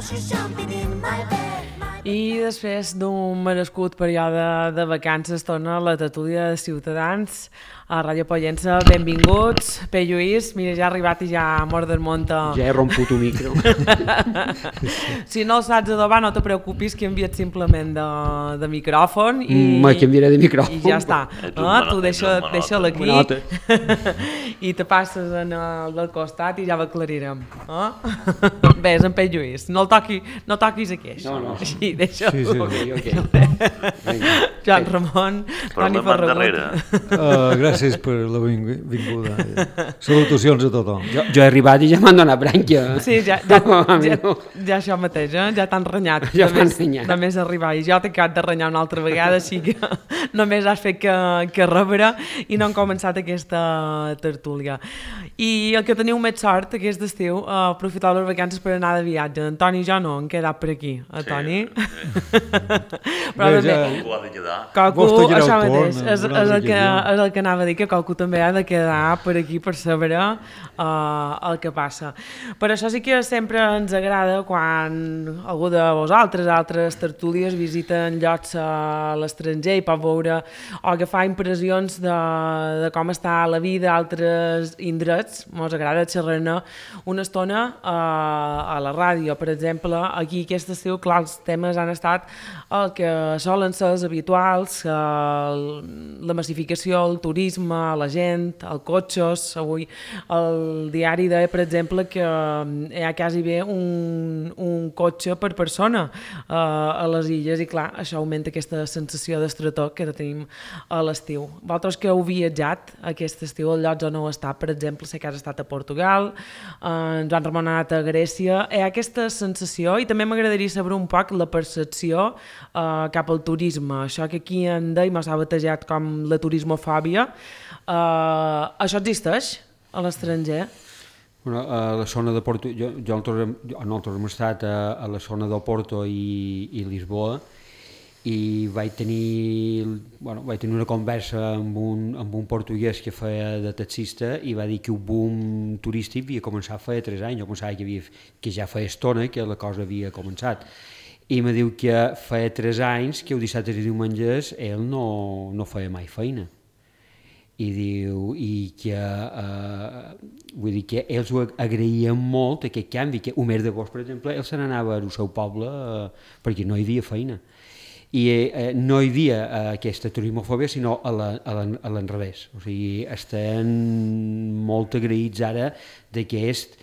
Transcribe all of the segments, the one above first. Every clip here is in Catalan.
I després d'un merescut període de vacances torna la tertúlia de Ciutadans a Ràdio Pollença. Benvinguts. P. Lluís, mira, ja ha arribat i ja mor del monte. Ja he romput un micro. Si no el saps adobar, no te preocupis, que he enviat simplement de micròfon i... Me canviaré de micròfon. I ja està. Tu deixa-la aquí i te passes en el del costat i ja l'aclarirem. Bé, és en P. Lluís. No toquis aquí, això. No. Així, deixa-ho. Sí. Joan Ramon, Toni Ferragut. Gràcies per la benvinguda. Salutacions a tothom. Jo he arribat i ja m'han donat brànquia. Sí, ja això mateix, ja t'han renyat. Ja m'han renyat. Només arribar. I jo t'he acabat de renyar una altra vegada, així que només has fet que rebre i no han començat aquesta tertúlia. I el que teniu més sort aquest estiu, aprofitar les vacances per anar de viatge. En Toni i jo no, hem quedat per aquí. Toni? Però Coco ha de quedar. Coco, això mateix, és el que anava a dir, que Coco també ha de quedar per aquí per saber el que passa. Per això sí que sempre ens agrada quan algú de vosaltres, altres tertúlies, visiten llocs a l'estranger i pot veure o agafar impressions de com està la vida a altres indrets. Ens agrada xerrar-ne una estona a la ràdio. Per exemple, aquí aquest estiu, clar, els temes han estat el que solen ser els habituals, la massificació, el turisme, la gent, els cotxes. Avui el diari deia, per exemple, que hi ha quasi bé un cotxe per persona a les illes i clar, això augmenta aquesta sensació d'estretor que tenim a l'estiu. Vosaltres que heu viatjat aquest estiu al llocs on heu estat, per exemple, sé que has estat a Portugal, en Joan Ramon ha anat a Grècia, hi ha aquesta sensació i també m'agradaria saber un poc la percepció cap al turisme, això que aquí en deim s'ha batejat com la turismofòbia. Això existeix a l'estranger? A la zona de Porto, nosaltres hem estat a la zona del Porto i Lisboa i vaig tenir una conversa amb un portuguès que feia de taxista i va dir que el boom turístic havia començat fa 3 anys. Jo pensava que ja feia estona que la cosa havia començat. I me diu que feia 3 anys que el dissabte i diumenges ell no feia mai feina. I diu vull dir que ells ho agraïen molt aquest canvi, que el mes d'agost, per exemple, ell se n'anava al seu poble perquè no hi havia feina. I no hi havia aquesta turismofòbia, sinó a l'enrevés. O sigui, estan molt agraïts ara d'aquest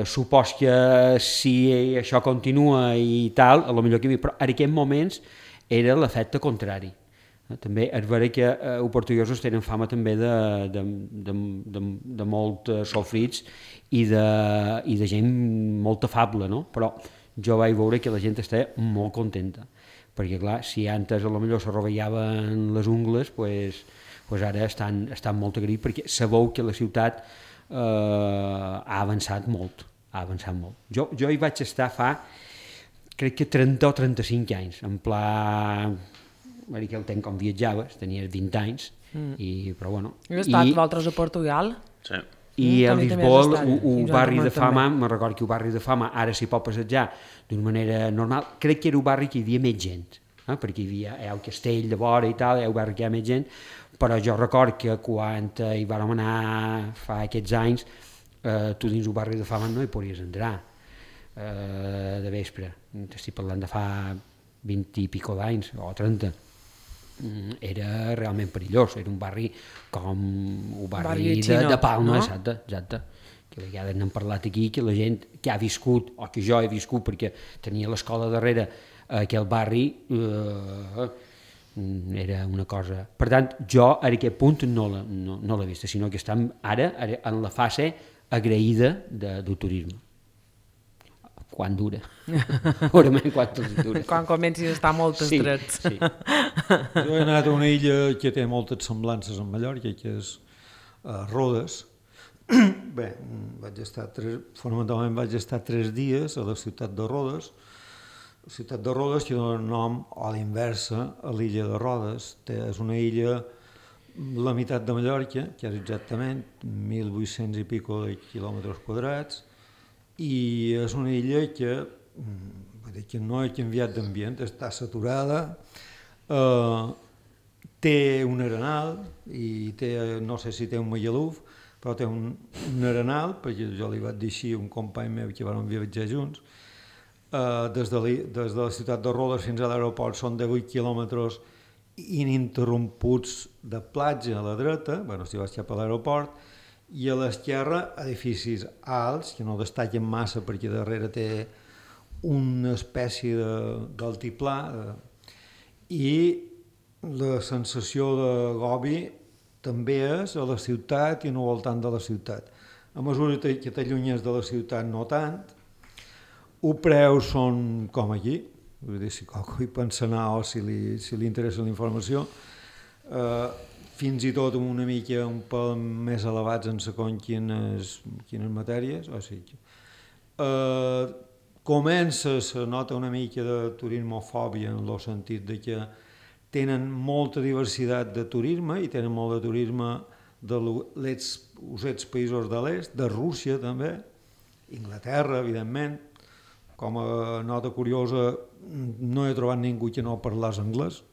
supos que si això continua i tal, a lo millor que hi havia, però en aquests moments era l'efecte contrari. També és vera que els portuguesos tenen fama també de molt sofrits i de gent molt afable, no? Però jo vaig veure que la gent està molt contenta, perquè clar, si antes a lo millor se rovellaven les ungles, pues ara estan molt agraïts perquè sabeu que la ciutat ha avançat molt. Jo hi vaig estar fa, crec que 30 o 35 anys, en pla... que el temps com viatjaves, tenies 20 anys, però bueno... Heu estat vosaltres a Portugal? Sí. I a Lisboa, un barri de fama, me'n recordo que el barri de fama ara s'hi pot passejar d'una manera normal, crec que era un barri que hi havia més gent, perquè hi havia el castell de vora i tal, un barri que hi ha més gent, però jo recordo que quan hi vàrem anar fa aquests anys, tu dins el barri de fama no hi podies entrar de vespre, estic parlant de fa 20 i pico d'anys, o 30. Era realment perillós, era un barri com un barri de Palma, no? Exacte, que a vegades n'hem parlat aquí, que la gent que ha viscut, o que jo he viscut perquè tenia l'escola darrere aquell barri, era una cosa... Per tant, jo a aquest punt no l'he vista, sinó que estem ara en la fase agraïda del turisme. Quan dura. Segurament quan dura. Quan comencis a estar molt estrets. Sí. Jo he anat a una illa que té moltes semblances amb Mallorca, que és Rodes. Bé, fonamentalment vaig estar 3 dies a la ciutat de Rodes. La ciutat de Rodes que dona nom a l'inversa a l'illa de Rodes. És una illa la meitat de Mallorca, que és exactament 1.800 i pico de quilòmetres quadrats, i és una illa que vull dir que no ha canviat d'ambient, està saturada, té un arenal i no sé si té un magaluf, però té un arenal, perquè jo li vaig dir així a un company meu que vam viatjar junts. Des de la ciutat de Rodes fins a l'aeroport són 18 quilòmetres ininterromputs de platja a la dreta, si vas cap a l'aeroport, i a l'esquerra edificis alts que no destaquen massa perquè darrere té una espècie d'altiplà i la sensació de gobi també és a la ciutat i no al voltant de la ciutat. A mesura que t'allunyes de la ciutat no tant, els preus són com aquí, vull dir, si qualcú hi pensa anar o si li interessa la informació, fins i tot una mica un pèl més elevats en segons quines matèries, o sigui, se nota una mica de turismofòbia en el sentit de que tenen molta diversitat de turisme i tenen molt de turisme dels països de l'est, de Rússia també, Inglaterra, evidentment. Com a nota curiosa, no he trobat ningú que no parlés anglès.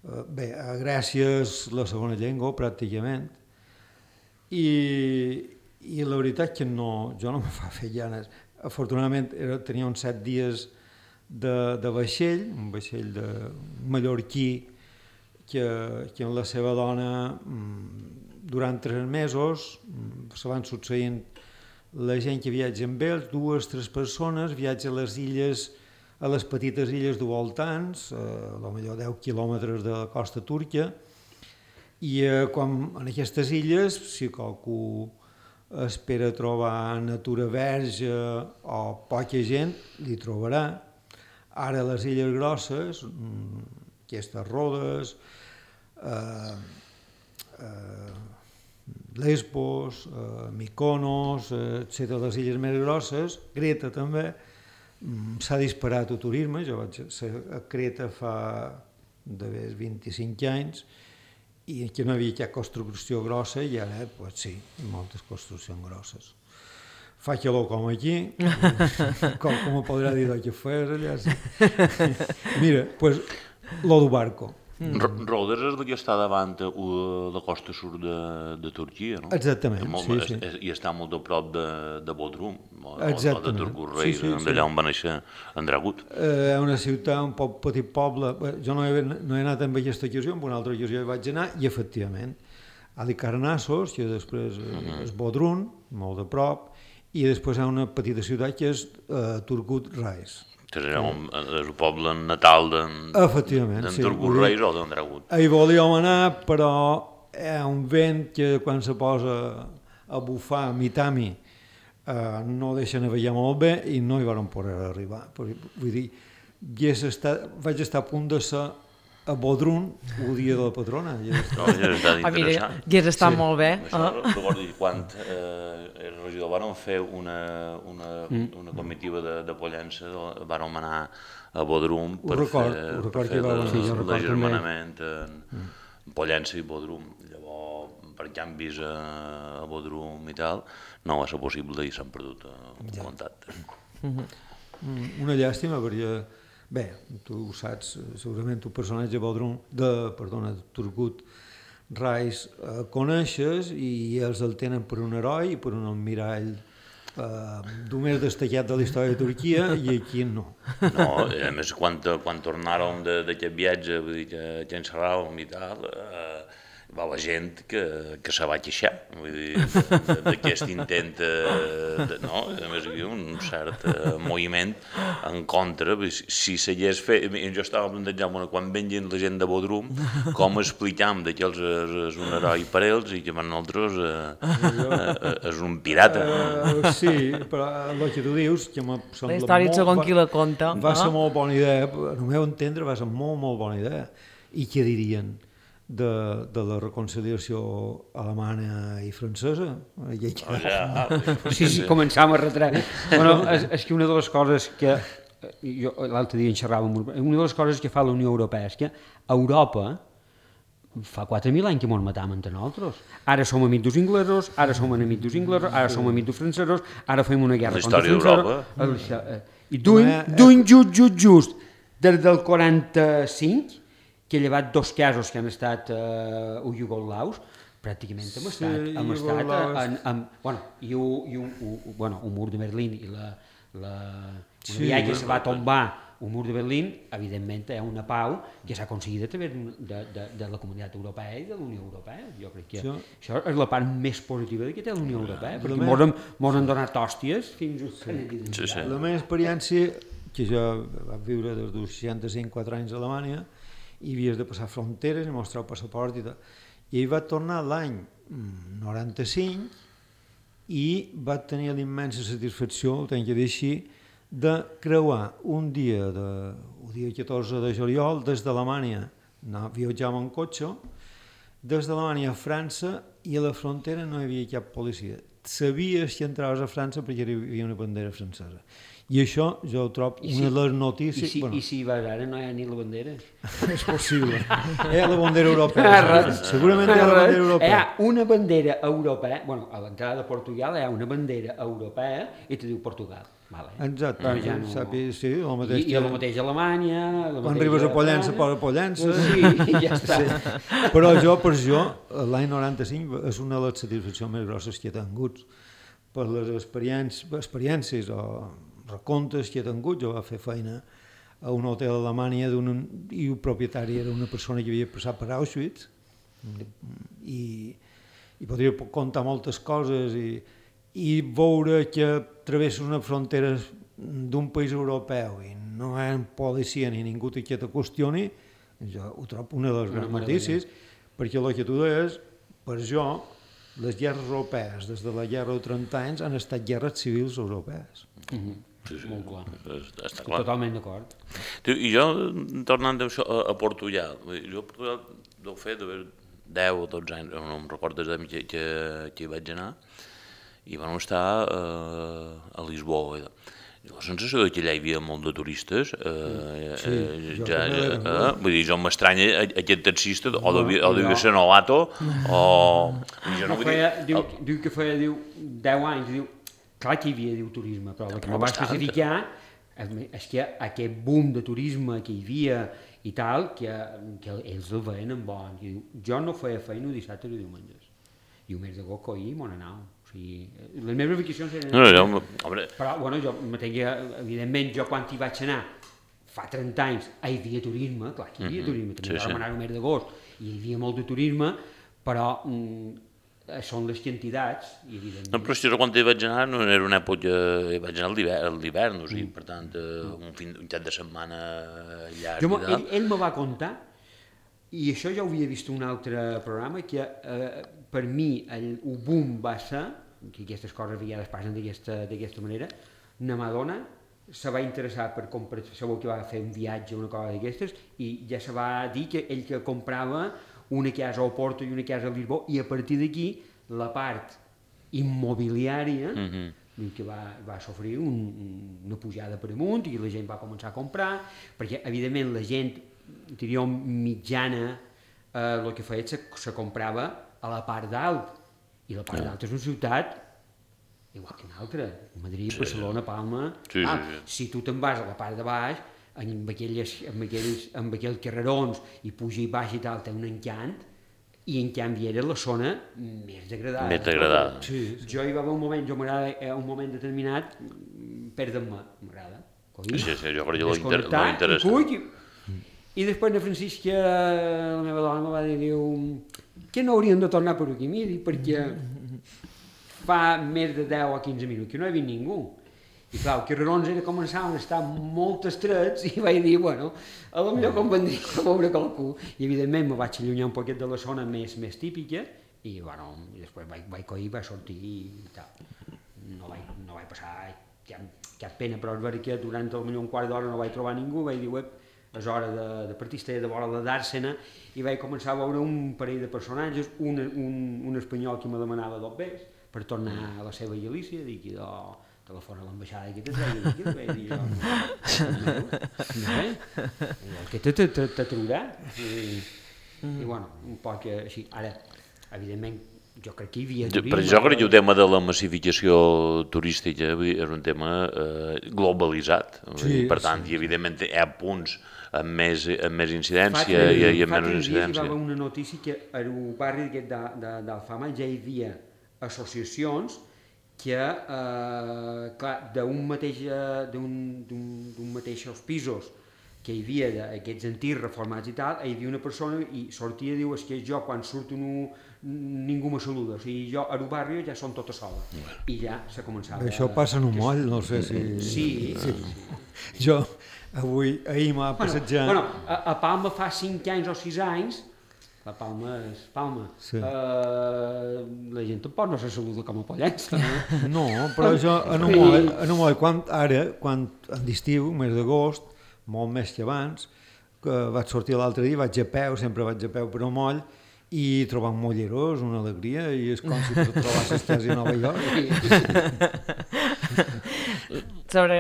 Bé, a Grècia és la segona llengua, pràcticament, i la veritat que jo no me fa fer llanes. Afortunadament tenia uns 7 dies de vaixell, un vaixell de mallorquí que amb la seva dona durant 3 mesos se van succeint la gent que viatja amb ells, 2 o 3 persones, viatja a les illes, a les petites illes de voltants, potser 10 quilòmetres de la costa turca, i en aquestes illes, si qualcú espera trobar natura verge o poca gent, li trobarà. Ara les illes grosses, aquestes Rodes, Lesbos, Mykonos, etc., les illes més grosses, Creta també, s'ha disparat el turisme. Jo vaig ser a Creta fa d'haver 25 anys i que no hi havia cap construcció grossa i ara, sí, moltes construccions grosses. Fa calor com aquí, com me podrà dir que fes allà. Mira, doncs, lo del barco. Rodes és el que està davant la costa surt de Turquia, no? Exactament, sí. I està molt a prop de Bodrum, o de Turgurrei, d'allà on va néixer Andragut. És una ciutat, un petit poble. Jo no he anat amb aquesta ocasió, amb una altra ocasió hi vaig anar, i efectivament, Halikarnassos, que després és Bodrum, molt a prop, i després hi ha una petita ciutat que és Turgut Reis. És el poble natal d'en Turgurreis o d'Andragut. Hi volíem anar, però hi ha un vent que quan se posa a bufar mitami no deixa navegar molt bé i no hi vam poder arribar. Vull dir, vaig estar a punt de ser a Bodrum el dia de la patrona. Ja hauria estat molt bé. Recordo quan el regidor van fer una comitiva de Pollença, van anar a Bodrum per fer l'agermanament en Pollença i Bodrum. Llavors, per canvis a Bodrum i tal, no va ser possible i s'han perdut el contacte. Una llàstima perquè bé, tu ho saps, segurament tu personatge de Turgut Reis coneixes i ells el tenen per un heroi i per un almirall el més destacat de la història de Turquia i aquí no. No, a més quan tornàrem d'aquest viatge, vull dir que encerràvem i tal, va la gent que se va queixar, vull dir, d'aquest intent, no? A més hi havia un cert moviment en contra, si s'hagués fet, jo estava plantejant, quan venien la gent de Bodrum, com explicam que ells és un heroi per ells i que per nosaltres és un pirata. Sí, però el que tu dius, que me sembla la història segons qui la conta. Va ser molt bona idea, al meu entendre va ser molt bona idea. I què dirien de la reconciliació alemanya i francesa? Sí, començàvem a retreure. Bueno, és que una de les coses que jo l'altre dia en xerràvem, una de les coses que fa la Unió Europea és que Europa, fa 4.000 anys que ens matam entre nosaltres. Ara som amics dels inglesos, ara som enemics dels inglesos, ara som amics dels francesos, ara fem una guerra contra els francesos. I duim just, des del 45, que he llevat 2 casos que han estat iugolaus, pràcticament hem estat un mur de Berlín i una via que se va tombar un mur de Berlín, evidentment hi ha una pau que s'ha aconseguit a través de la Comunitat Europea i de la Unió Europea. Jo crec que això és la part més positiva que té la Unió Europea, perquè ens han donat hòsties fins a... La meva experiència, que jo vaig viure des dels 65-4 anys a Alemanya, i havies de passar fronteres i mostrar el passaport i tal. I ell va tornar l'any 95 i va tenir l'immensa satisfacció, ho tenc que dir així, de creuar un dia, el dia 14 de juliol, des d'Alemanya, viatjàvem en cotxe, des d'Alemanya a França, i a la frontera no hi havia cap policia. Sabies que entraves a França perquè hi havia una bandera francesa. I això jo ho trobo una de les notícies... I si vas ara no hi ha ni la bandera? És possible. Hi ha la bandera europea. Segurament hi ha la bandera europea. Hi ha una bandera europea, a l'entrada de Portugal hi ha una bandera europea i te diu Portugal. Exacte. Sí, el mateix. I el mateix a Alemanya... Quan arribes a Pollença, posa Pollença. Sí, ja està. Però per jo, l'any 95 és una de les satisfaccions més grosses que he tingut. Per les experiències o recomptes que he tingut. Jo vaig fer feina a un hotel a Alemanya i el propietari era una persona que havia passat per Auschwitz i podria contar moltes coses i veure que travesses una frontera d'un país europeu i no hi ha policia ni ningú que te qüestioni, jo ho trobo una de les grans notícies, perquè el que tu deies, per jo, les guerres europees, des de la guerra de 30 anys, han estat guerres civils europees. Sí, molt clar. Està clar. Totalment d'acord. I jo, tornant a Portugal, jo a Portugal deu fer 10 o 12 anys, no em recordo que hi vaig anar, i vam estar a Lisboa. La sensació que allà hi havia molt de turistes, vull dir, jo m'estranya aquest taxista, o devia ser novato, o... Diu que feia 10 anys, clar que hi havia turisme, però el que no va especificar és que aquest boom de turisme que hi havia i tal, que ells el veien en bon. Jo no feia feina dissabtes i diumenges, i el mes d'agost ahir m'on anava. Les meves vacacions eren... Però, jo mateix, evidentment, jo quan hi vaig anar, fa 30 anys, hi havia turisme, clar que hi havia turisme, també vam anar al mes d'agost, i hi havia molt de turisme, però són les quantitats, evidentment. No, però si jo quan hi vaig anar no era una època, hi vaig anar a l'hivern, o sigui, per tant, un cap de setmana llarg. Ell me va contar, i això ja ho havia vist en un altre programa, que per mi el boom va ser, que aquestes coses a vegades passen d'aquesta manera, una Madonna se va interessar per comprar, segur que va fer un viatge o una cosa d'aquestes, i ja se va dir que ell que comprava una casa a Oporto i una casa a Lisboa, i a partir d'aquí la part immobiliària que va sofrir una pujada per amunt, i la gent va començar a comprar, perquè evidentment la gent, diria mitjana, el que feia se comprava a la part dalt, i la part dalt és una ciutat igual que una altra, Madrid, Barcelona, Palma. Si tu te'n vas a la part de baix, amb aquells carrerons i puja i baix i tal, té un encant, i en canvi era la zona més degradada. Més degradada. Jo hi va haver un moment, m'agrada un moment determinat, perdre'm-me, m'agrada. Sí, jo per allò l'interessa. I després de Francisca, la meva dona me va dir, que no hauríem de tornar per aquí, miri, perquè fa més de 10 o 15 minuts que no hi havia ningú. I clar, els carrerons començaven a estar molt estrets i vaig dir, bueno, a lo millor convendria a veure qualcú. I evidentment me vaig allunyar un poquet de la zona més típica i després vaig coir, vaig sortir i tal. No vaig passar cap pena, però és veritat que durant potser un quart d'hora no vaig trobar ningú, vaig dir, és hora de partir, estava de vora de Dàrsena, i vaig començar a veure un parell de personatges, un espanyol que me demanava 2 bes per tornar a la seva Galícia, dic, i telefona a l'ambaixada i que vaig dir jo, que te traurà. I bueno, un poc així. Ara, evidentment, jo crec que hi havia turisme. Però jo crec que el tema de la massificació turística és un tema globalitzat. Per tant, i evidentment hi ha punts amb més incidència i amb menys incidència. Fa 3 dies hi va haver una notícia que al barri d'Alfama ja hi havia associacions que, clar, d'un mateix pisos que hi havia d'aquests antics reformats i tal, hi havia una persona i sortia i diu, és que jo quan surto ningú me saluda, o sigui, jo al barri ja són tota sola, i ja s'ha començat. Això passa en un moll, no sé si... Sí. Jo ahir m'ha passejat... Bueno, a Palma fa 5 anys o 6 anys, la Palma és Palma, la gent tampoc no se saluda com a Pollença. No, però jo en un moll, quan en l'estiu, mes d'agost, molt més que abans, que vaig sortir l'altre dia, vaig a peu, sempre vaig a peu per un moll, i trobar un mollerós, una alegria, i és com si te trobassis quasi a Nova York. Sobre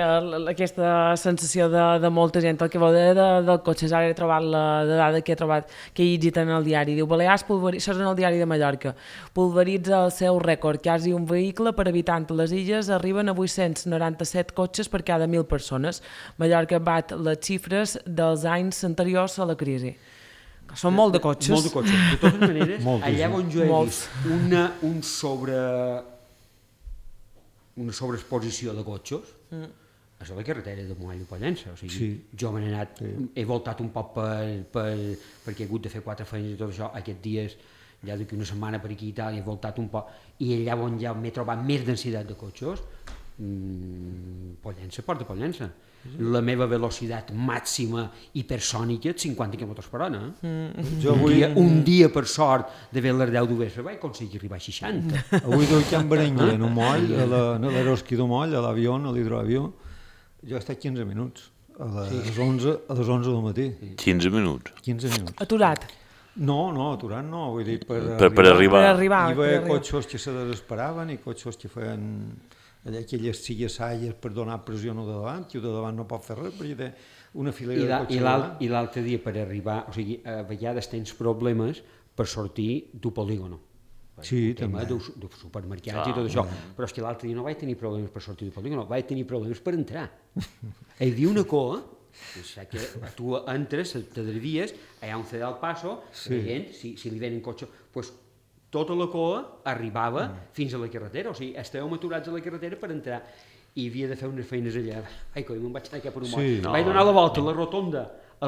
aquesta sensació de molta gent, el que vau dir del cotxe, ara he trobat la dada que he trobat, que he llegit en el diari, diu, Balears pulveritza, això és en el diari de Mallorca, pulveritza el seu rècord, quasi un vehicle per habitant a les illes, arriben a 897 cotxes per cada 1.000 persones. Mallorca bat les xifres dels anys anteriors a la crisi. Són molt de cotxes. Molt de cotxes. De totes maneres, allà on jo he vist una sobreexposició de cotxes, és a la carretera de Moall i Pollença. O sigui, jo m'he anat, he voltat un poc perquè he hagut de fer 4 feines i tot això, aquests dies, ja d'aquí una setmana per aquí i tal, he voltat un poc, i allà on ja m'he trobat més densitat de cotxes, Pollença, Port de Pollença. La meva velocitat màxima hipersònica és 50 km/h. Un dia, per sort, de ver les 10 d'Ovesa, vaig aconseguir arribar a 60. Avui del Can Berenguer, en un moll, a l'Eroski del moll, a l'avió, a l'hidroavió, jo he estat 15 minuts, a les 11 del matí. 15 minuts? 15 minuts. Aturat? No, aturat no, vull dir, per arribar. Hi havia cotxos que se desesperaven i cotxos que feien aquelles salles per donar pressió al de davant, i el de davant no pot fer res perquè té una filera de cotxes. I l'altre dia per arribar, o sigui, a vegades tens problemes per sortir d'un polígono. Sí, també. Dels supermercats i tot això. Però és que l'altre dia no vaig tenir problemes per sortir d'un polígono, vaig tenir problemes per entrar. Hi havia una coa, que tu entres, t'adrevies, hi ha un cedal al passo, la gent, si li venen cotxes, doncs tota la coa arribava fins a la carretera, o sigui, estàvem aturats a la carretera per entrar, i havia de fer unes feines allà. Ai, coi, me'n vaig anar cap per un moll. Vaig donar la volta a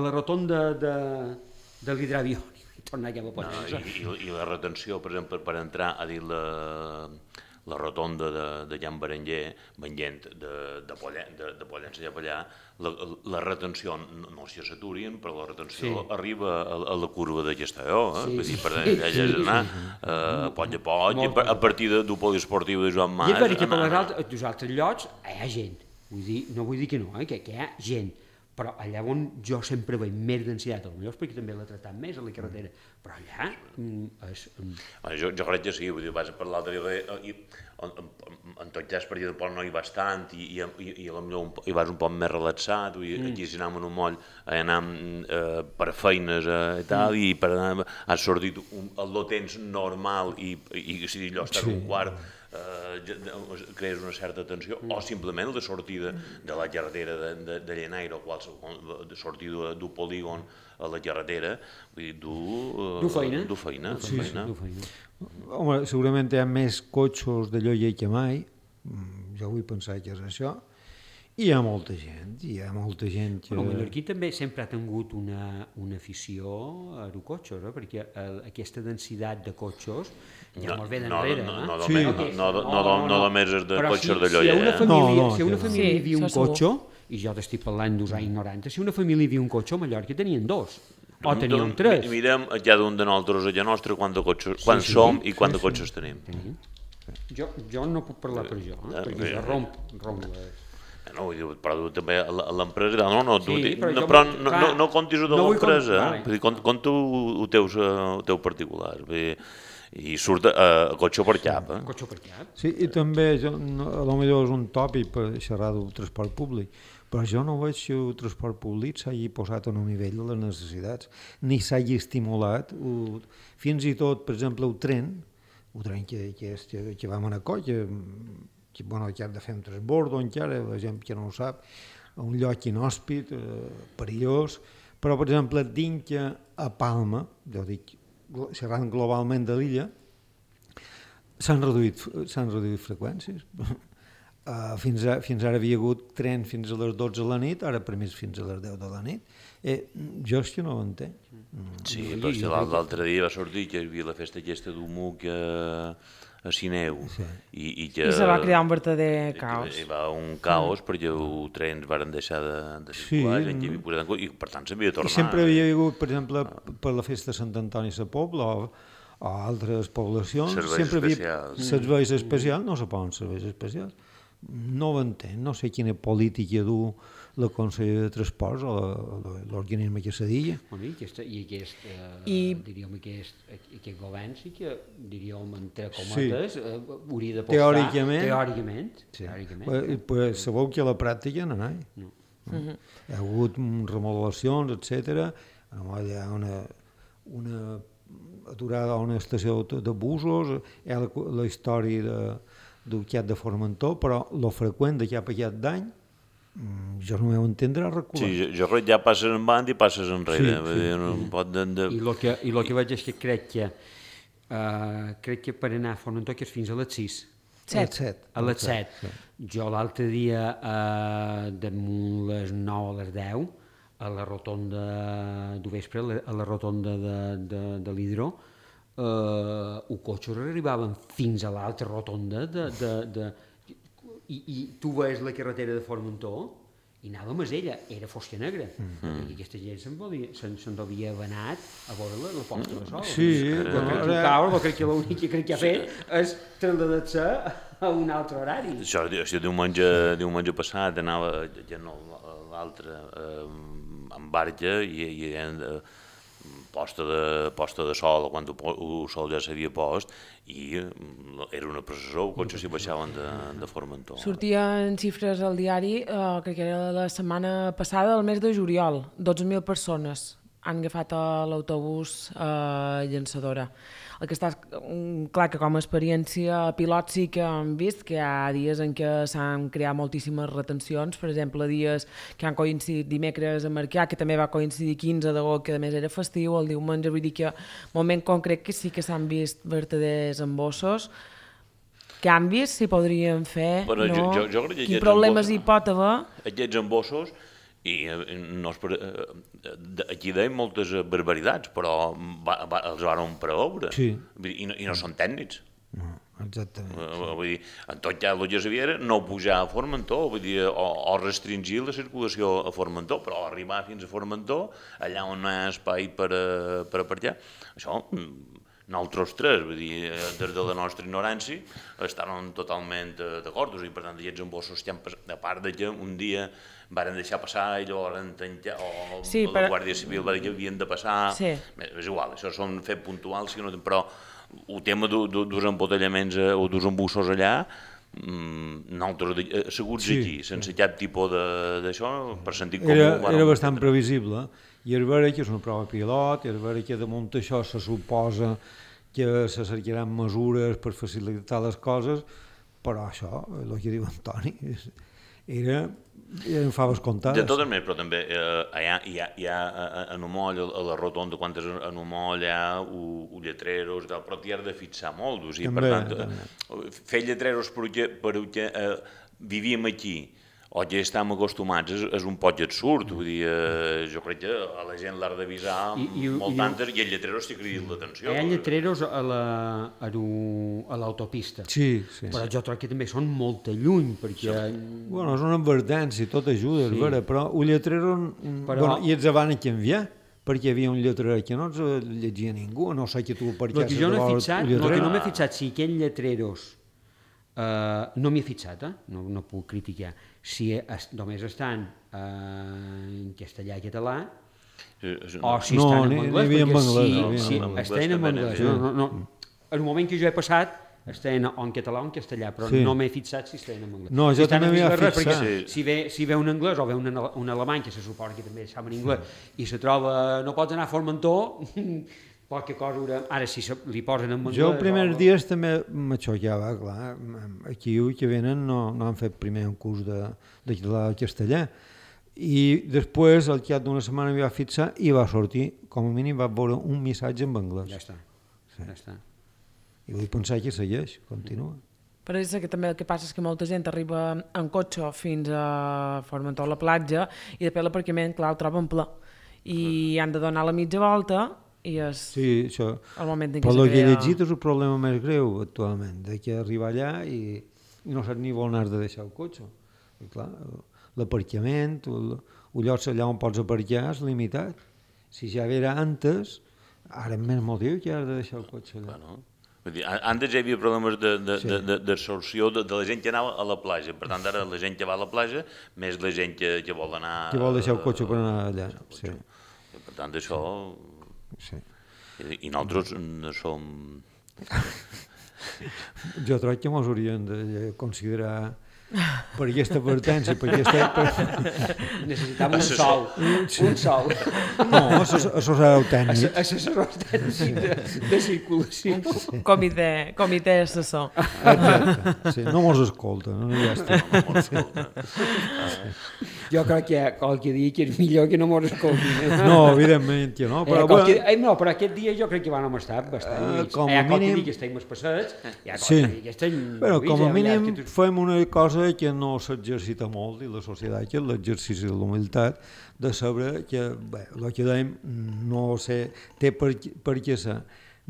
la rotonda de l'hidroavió, i tornar cap a Pollença. I la retenció, per exemple, per entrar a dir la rotonda de Can Berenguer, venint de Pollença cap allà, la retenció no s'hi s'aturin, però la retenció arriba a la curva de Castelló, vull dir, per allà és anar a poll a poll, a partir del poliesportiu de Joan Mas. I és veritat que per els altres llocs hi ha gent, no vull dir que no, que hi ha gent, però allà on jo sempre veig més densitat, potser perquè també l'he tratat més a la carretera, però allà és... Jo crec que sí, vull dir, vas per l'altre dia, en tot cas per allà del poble no hi vas tant, i potser hi vas un poc més relaxat, aquí si anem en un moll, anem per feines i tal, i per anar, has sortit el temps normal, i si allò està un quart, crees una certa tensió, o simplement la sortida de la carretera de Llenaire o qualsevol sortida d'un polígon a la carretera, vull dir, du feina. Home, segurament hi ha més cotxos de lloller que mai, jo vull pensar que és això, i hi ha molta gent que... El mallorquí també sempre ha tingut una afició a els cotxes, perquè aquesta densitat de cotxes ja molt bé d'enrere. No només és de cotxes de lloller. Si una família hi havia un cotxe, i jo t'estic parlant dels anys 90, si una família hi havia un cotxe a Mallorca tenien 2, o tenien 3. Mirem a cada un de nosaltres a casa nostra quan som i quants cotxes tenim. Jo no puc parlar per jo, perquè jo romp les... No, vull dir, però tu també a l'empresa, però no comptis de l'empresa, compta el teu particular, i surt a cotxe per cap. Sí, i també, potser és un tòpic per xerrar del transport públic, Però jo no veig que el transport públic s'hagi posat en un nivell de les necessitats, ni s'hagi estimulat. Fins i tot, per exemple, el tren que vam anar a coll, que has de fer un transbordo encara, la gent que no ho sap, a un lloc inhòspit, perillós, però, per exemple, dins que a Palma, jo dic, xerrant globalment de l'illa, s'han reduït freqüències. Fins ara havia hagut tren fins a les 12 de la nit, ara per més fins a les 10 de la nit. Jo és que no ho entenc. Sí, però l'altre dia va sortir que hi havia la festa aquesta d'Humuc a Sineu. I se va crear un verdader caos. Hi va un caos perquè els trens van deixar de circular, gent que havia posat en compte, i per tant s'havia de tornar. I sempre havia hagut, per exemple, per la festa de Sant Antoni a la Pobla o altres poblacions, sempre havia serveis especials, no se poden serveis especials. No ho entenc, no sé quina política du la Conselleria de Transports o l'organisme que se digui. Aquest govern sí que, diríem, entre cometes, hauria d'apostar teòricament. Pues sabeu que a la pràctica no hi ha hagut remodelacions, etc. Hi ha una aturada a una estació de busos, hi ha la història del Cat de Formentor, però lo freqüent de cap a aquest d'any jo no m'ho entendre recular. Sí, jo crec que ja passes en banda i passes enrere. I el que veig és que crec que per anar a Formentor que és fins a les 6. A les 7. Jo l'altre dia, damunt les 9 a les 10, a la rotonda del vespre, a la rotonda de l'Hidro, els cotxes arribaven fins a l'altra rotonda i tu veus la carretera de Formentor i anàvem a ella, era fosca negra i aquesta gent se'n devia haver anat a veure la posta de sol. Crec que l'únic que ha fet és trasladar-se a un altre horari. Això diumenge passat anava l'altre en barca i posta de sol, quan el sol ja s'havia post, i era una processó, els cotxes s'hi baixaven de Formentor. Sortien xifres al diari, crec que era la setmana passada, del mes de juliol, 12.000 persones han agafat l'autobús llançadora. El que està clar que com a experiència pilot sí que hem vist que hi ha dies en què s'han creat moltíssimes retencions, per exemple, dies que han coincidit dimecres a Marquià, que també va coincidir 15 d'agost, que a més era festiu, el diumenge, vull dir que moment concret que sí que s'han vist vertaders embossos. Canvis s'hi podrien fer, no? Quins problemes hi pot haver? Aquests embossos, i aquí deien moltes barbaritats, però els van preveure, i no són tècnics. Exactament. Vull dir, en tot cas el que s'havia era no pujar a Formentor, vull dir, o restringir la circulació a Formentor, però arribar fins a Formentor, allà on no hi ha espai per aparcar, això nosaltres tres, vull dir, des de la nostra ignorància, estàvem totalment d'acord, i per tant aquests embossos que han passat, a part que un dia varen deixar passar i llavors van tancar, o la Guàrdia Civil va dir que havien de passar, és igual, això són fets puntuals, però el tema dels embotellaments o dels embussos allà, nosaltres asseguts aquí, sense cap tipus d'això, per sentit comú... Era bastant previsible, i és vera que és una prova pilot, i és vera que damunt això se suposa que se cercaran mesures per facilitar les coses, però això, el que diu Antoni, eren faves comptades. De totes maneres, però també hi ha en Humoll, a la rotonda, quan és en Humoll hi ha lletreros, però t'hi has de fixar molt. Per tant, fer lletreros perquè vivíem aquí, o ja estem acostumats, és un poc absurd. Vull dir, jo crec que a la gent l'ha d'avisar molt tantes, i el lletrero sí que crida l'atenció. Hi ha lletreros a l'autopista, però jo crec que també són molt lluny, perquè... Bueno, és una advertència, tot ajuda, és vera, però un lletrero... I els van a canviar, perquè hi havia un lletrer que no ens llegia ningú, no sé que tu per què... El que no m'he fixat, si aquells lletreros... no m'hi he fixat, no puc criticar. Si només estan en castellà i català, o si estan en anglès, perquè si estan en anglès. En el moment que jo he passat, estan en català o en castellà, però no m'he fixat si estan en anglès. No, jo també m'hi he fixat. Si ve un anglès o ve un alemany, que se suposa que també sap en anglès, i se troba, no pots anar a Formentor, poca cosa haurà... Ara, si li posen en anglès... Jo els primers dies també m'aixollava, clar. Aquí que venen no han fet primer un curs de català o castellà. I després, al cap d'una setmana, m'hi va fixar i va sortir, com a mínim, va veure un missatge en anglès. Ja està. I vull pensar que segueix, continua. Però és que també el que passa és que molta gent arriba en cotxe fins a Formentor a la platja i després l'aparcament, clar, el troben ple. I han de donar la mitja volta i és el moment en què però el que he llegit és el problema més greu actualment, de que arriba allà i no saps ni on has de deixar el cotxe. I clar, l'aparcament, el lloc allà on pots aparcar és limitat. Si ja era antes, ara és més motiu que has de deixar el cotxe allà. Bueno, antes hi havia problemes d'absorció de la gent que anava a la platja. Per tant, ara la gent que va a la platja, més la gent que vol anar... Que vol deixar el cotxe per anar allà. Sí. Per tant, això... Sí. I nosaltres som... Jo crec que ens hauríem de considerar per aquesta advertència, per aquesta... Necessitam un sol. No, assessor tècnic. Assessor tècnic de circulació. Un comitè assessor. Exacte, sí, no mos escolta, no hi estem. Jo crec que qualque dia que és millor que no mos escoltin. No, evidentment que no. Però aquest dia jo crec que vam estar bastant. Com a mínim... que estem passats, sí. Però com a mínim fem una cosa que no s'exercita molt i la societat, que és l'exercici de la humilitat, de saber que, bé, el que dèiem, no sé, té per què ser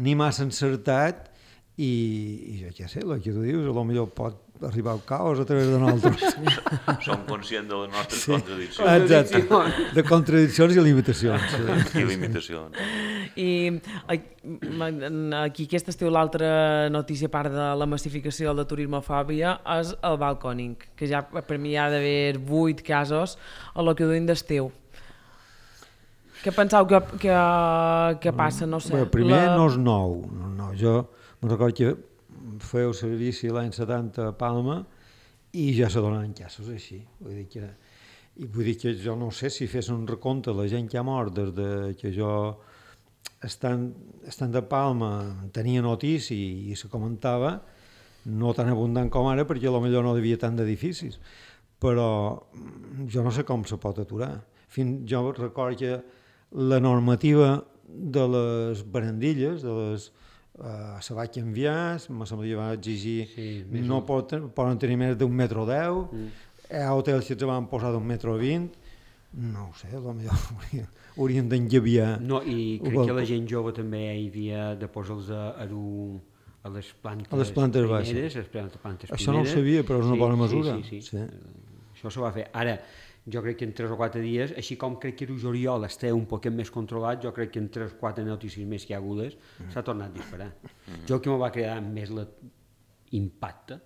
ni massa encertat i jo què sé, el que tu dius, potser pot arribar al caos a través de nosaltres. Som conscients de les nostres contradiccions. Exacte, de contradiccions i limitacions. I limitacions. I aquí aquest estiu l'altra notícia, a part de la massificació de la turismofòbia, és el balcòning, que ja per mi hi ha d'haver 8 casos a lo que duim d'estiu. Què penseu que passa? No sé. Bé, primer no és nou. No. Jo me'n recordo que feu servici l'any 70 a Palma i ja se donaven casos així. Vull dir que jo no sé si fes un recompte la gent que ha mort des de que jo estant a Palma tenia notícia i se comentava, no tan abundant com ara perquè potser no hi havia tant d'edificis, però jo no sé com se pot aturar. Jo recordo que la normativa de les barandilles, de les se va canviar, me sembla que va exigir no poden tenir més d'un metro 10, hi ha hotels que es van posar d'un metro 20, no ho sé, potser haurien d'engaviar. No, i crec que la gent jove també hi havia de posar-los a les plantes baixes. Això no ho sabia, però és una bona mesura. Sí. Això se va fer. Ara, jo crec que en 3 o 4 dies, així com crec que el juliol està un poquet més controlat, jo crec que en 3 o 4 notícies més que hi ha hagudes s'ha tornat a disparar. Jo que me va cridar més l'impacte,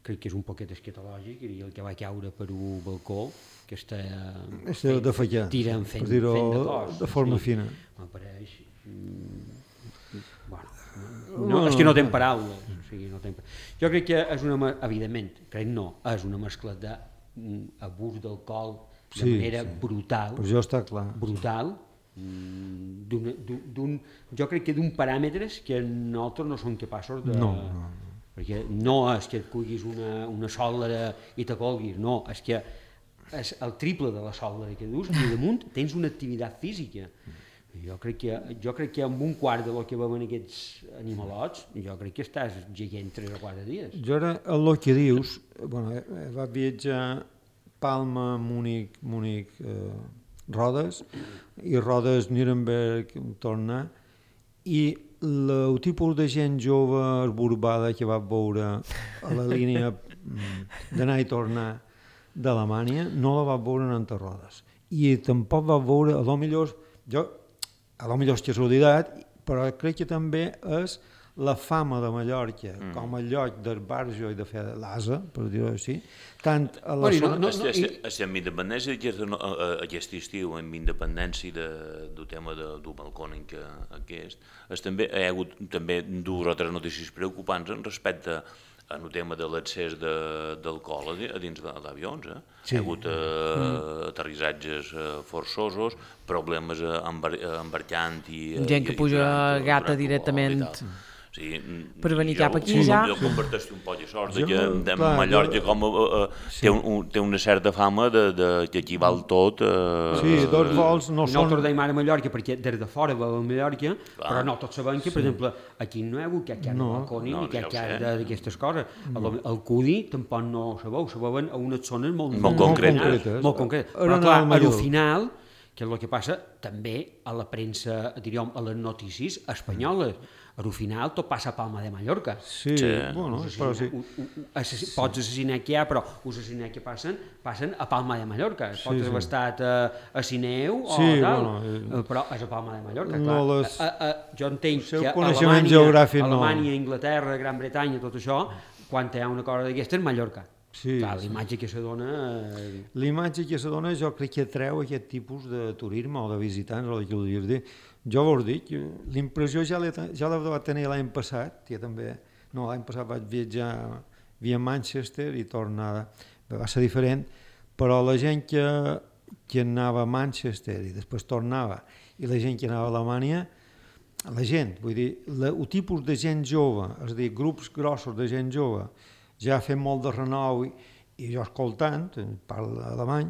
crec que és un poquet escatològic, i el que va caure per un balcó, que està tirant fent de cos. De forma fina. M'apareix... No, és que no tenen paraules. Jo crec que és una... Evidentment, és una mescla de abús d'alcohol de manera brutal. Per això està clar. Brutal. Jo crec que d'un paràmetres que nosaltres no som capaços de... No. Perquè no és que et cuiguis una sòlera i te colguis, no, és que és el triple de la sòlera que dus i damunt tens una activitat física. Jo crec que amb un quart de lo que veuen aquests animalots, jo crec que estàs gegant 3 o 4 dies. Jo ara, el que dius, va viatjar Palma, Múnich, Rodes, i Rodes, Nuremberg, tornar, i el tipus de gent jove esborbada que va veure a la línia d'anar i tornar d'Alemanya no la va veure en Rodes. I tampoc va veure, a lo millor és casualitat, però crec que també és la fama de Mallorca com a lloc d'esbarjo i de fer l'asa, per dir-ho així, tant a la zona... Estem amb independència aquest estiu, amb independència del tema del balcònic que és també hi ha hagut també dues o tres notícies preocupants respecte en el tema de l'accés d'alcohol a dins d'avions. Hi ha hagut aterrissatges forçosos, problemes embarcant i... Gent que puja gata directament per venir cap aquí ja. Jo comparteixo un poc de sort que Mallorca té una certa fama que aquí val tot. Sí, dos vols no són... Nosaltres deim ara Mallorca perquè des de fora va a Mallorca, però no tots sabem que, per exemple, aquí no hi ha hagut cap de balcònic ni cap d'aquestes coses. El Cudi tampoc no sabeuen a unes zones molt concretes. Però clar, al final, que és el que passa també a la premsa, diríem, a les notícies espanyoles. Al final tot passa a Palma de Mallorca. Sí, bueno, però sí. Pots assassinar que hi ha, però els assassinats que passen a Palma de Mallorca. Pots haver estat a Sineu o tal, però és a Palma de Mallorca, clar. Jo entenc que Alemanya, Inglaterra, Gran Bretanya, tot això, quan hi ha una cosa d'aquesta és Mallorca. Clar, l'imatge que se dona... L'imatge que se dona jo crec que atreu aquest tipus de turisme o de visitants, o el que voldries dir. Jo vos dic, l'impressió ja la vaig tenir l'any passat, l'any passat vaig viatjar via Manchester i tornada, va ser diferent, però la gent que anava a Manchester i després tornava, i la gent que anava a Alemanya, el tipus de gent jove, és a dir, grups grossos de gent jove, ja fent molt de renou i jo escoltant, parlo alemany,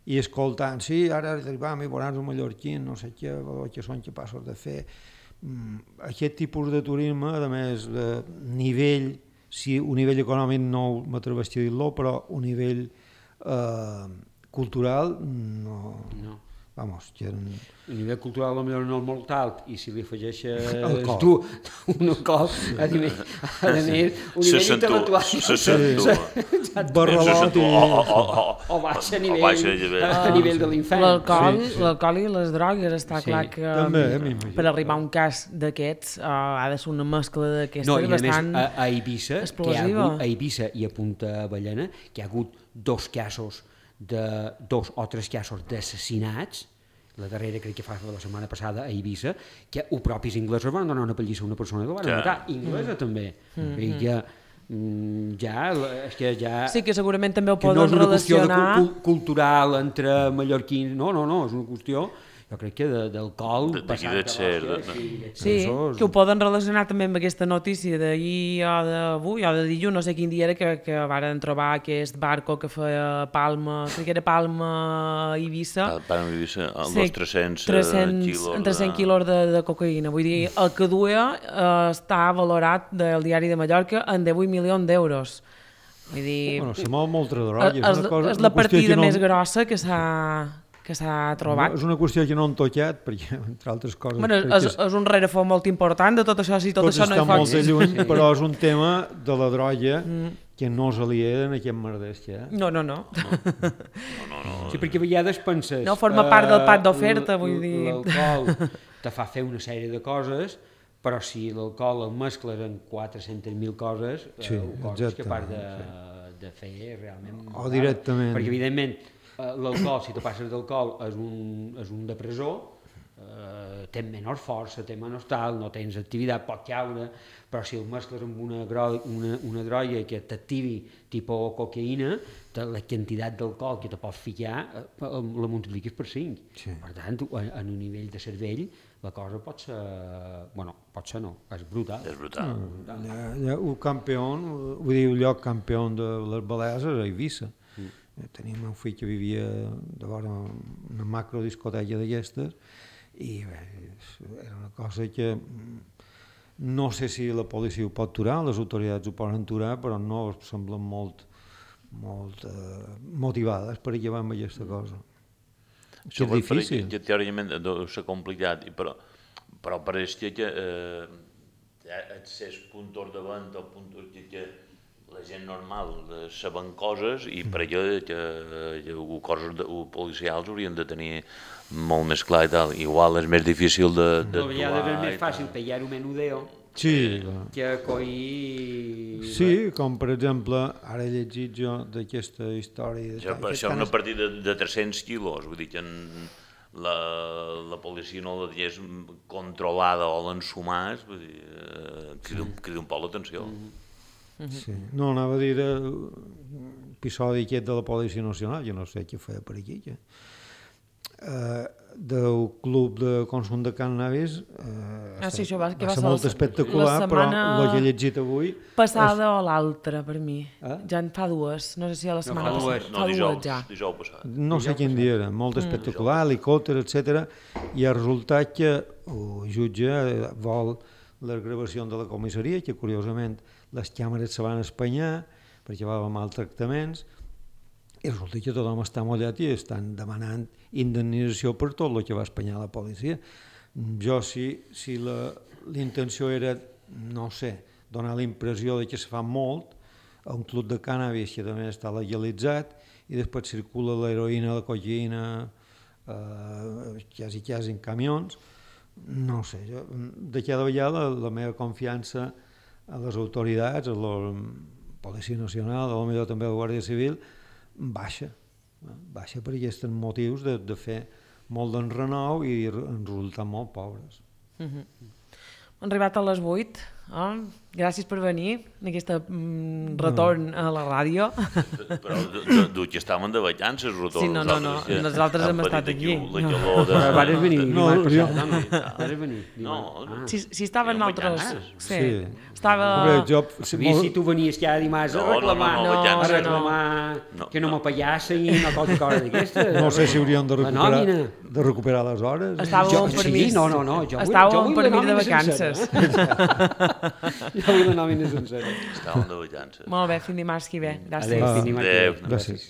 i escoltant, sí, ara arribam i veuràs un mallorquí, no sé què, que són capaços de fer. Aquest tipus de turisme, a més, de nivell, si un nivell econòmic no m'atreveixo a dir-lo, però un nivell cultural, no. Vamos, que... A nivell cultural potser no és molt alt, i si li afegeixes tu un alcohol, a més, un nivell intel·lectual... Barralot i... O baixa a nivell de l'infern. L'alcohol i les drogues, està clar que per arribar a un cas d'aquests ha de ser una mescla d'aquestes bastant explosiva. A Eivissa i a Punta Ballena, que hi ha hagut dos o tres casos d'assassinats, la darrera crec que fa la setmana passada a Eivissa, que els propis inglesos van donar una pallissa a una persona que la van matar, inglesa també. Sí, que segurament també ho poden relacionar... No és una qüestió cultural entre mallorquins, no, és una qüestió... Jo crec que d'alcohol... Sí, que ho poden relacionar també amb aquesta notícia d'ahir o d'avui, o de dilluns, no sé quin dia era, que varen trobar aquest barco que feia Palma, crec que era Palma-Eivissa. Palma-Eivissa, els 300 quilos de cocaïna. Vull dir, el que duia està valorat del diari de Mallorca en 18 milions d'euros. Vull dir... Bueno, se mou molta droga. És la partida més grossa que s'ha trobat. És una qüestió que no han tocat, perquè, entre altres coses... Bueno, és un rerefons molt important de tot això, si tot això no hi fa... Pot estar molt de lluny, però és un tema de la droga que no s'alia en aquest merders que hi ha. No. Sí, perquè a vegades penses... No forma part del pack d'oferta, vull dir... L'alcohol te fa fer una sèrie de coses, però si l'alcohol el mescles en 400.000 coses, coses que part de fer realment... O directament. Perquè, evidentment, l'alcohol, si te passes d'alcohol, és un depressor, tens menys força, tens menys tal, no tens activitat, pot caure, però si el mescles amb una droga que t'activi tipus cocaïna, la quantitat d'alcohol que te pots ficar la multipliques per 5. Sí. Per tant, en un nivell de cervell, la cosa pot ser... Bueno, pot ser no, és brutal. És brutal. Un campió, vull dir, un lloc campió de les Balears és a Eivissa. Teníem un fill que vivia de vora una macrodiscoteca d'aquestes i bé, era una cosa que no sé si la policia ho pot aturar, les autoritats ho poden aturar, però no semblen molt motivades per acabar amb aquesta cosa. Això és difícil. Teòricament deu ser complicat, però pareix que accés punts de venda o punts que la gent normal saben coses i per allò que coses policials haurien de tenir molt més clar i tal. Igual és més difícil de trobar. A vegades és més fàcil pillar un menudeo Sí, que coi... Sí, com per exemple, ara he llegit jo d'aquesta història... Això és una partida de 300 quilos, vull dir que la policia no la tingués controlada o l'ensumàs, vull dir, crida un poc l'atenció. Sí. No, anava a dir l'episodi aquest de la Policia Nacional, jo no sé què feia per aquí, del club de consum de cannabis sí, això va ser molt espectacular, però el que he llegit avui... Passada o l'altra, per mi. Ja en fa dues, no sé si a la setmana passada. No, dijous passat. No sé quin dia era, molt espectacular, helicòpter, etc. I ha resultat que el jutge vol les gravacions de la comissaria, que curiosament les càmeres se van espanyar perquè va haver maltractaments, i resulta que tothom està mollat i estan demanant indemnització per tot el que va espanyar la policia. Jo, si l'intenció era, no sé, donar la impressió de que se fa molt a un club de cànnabis que també està legalitzat i després circula l'heroïna, la cocaïna, quasi en camions, no sé, de cada vegada la meva confiança a les autoritats, a la Policia Nacional, a la millor també a la Guàrdia Civil, baixa per aquests motius de fer molt d'enrenou i en resultar molt pobres. Hem arribat a les 8. Gràcies per venir en aquest retorn a la ràdio. Però que estàvem de vacances, retorn. Sí, no, nosaltres hem estat aquí. Vares venir dimarts passat, Si estaven altres... Sí. Si tu venies cada dimarts a reclamar que no m'apallassin i una cosa d'aquesta. No sé si hauríem de recuperar les hores. Estàvem per mi. Estàvem per mi de vacances. Jo vull la nòmina sencera. Estàvem de vacances. Molt bé, fins dimarts que ve. Gràcies. Adéu, fins dimarts que ve. Gràcies.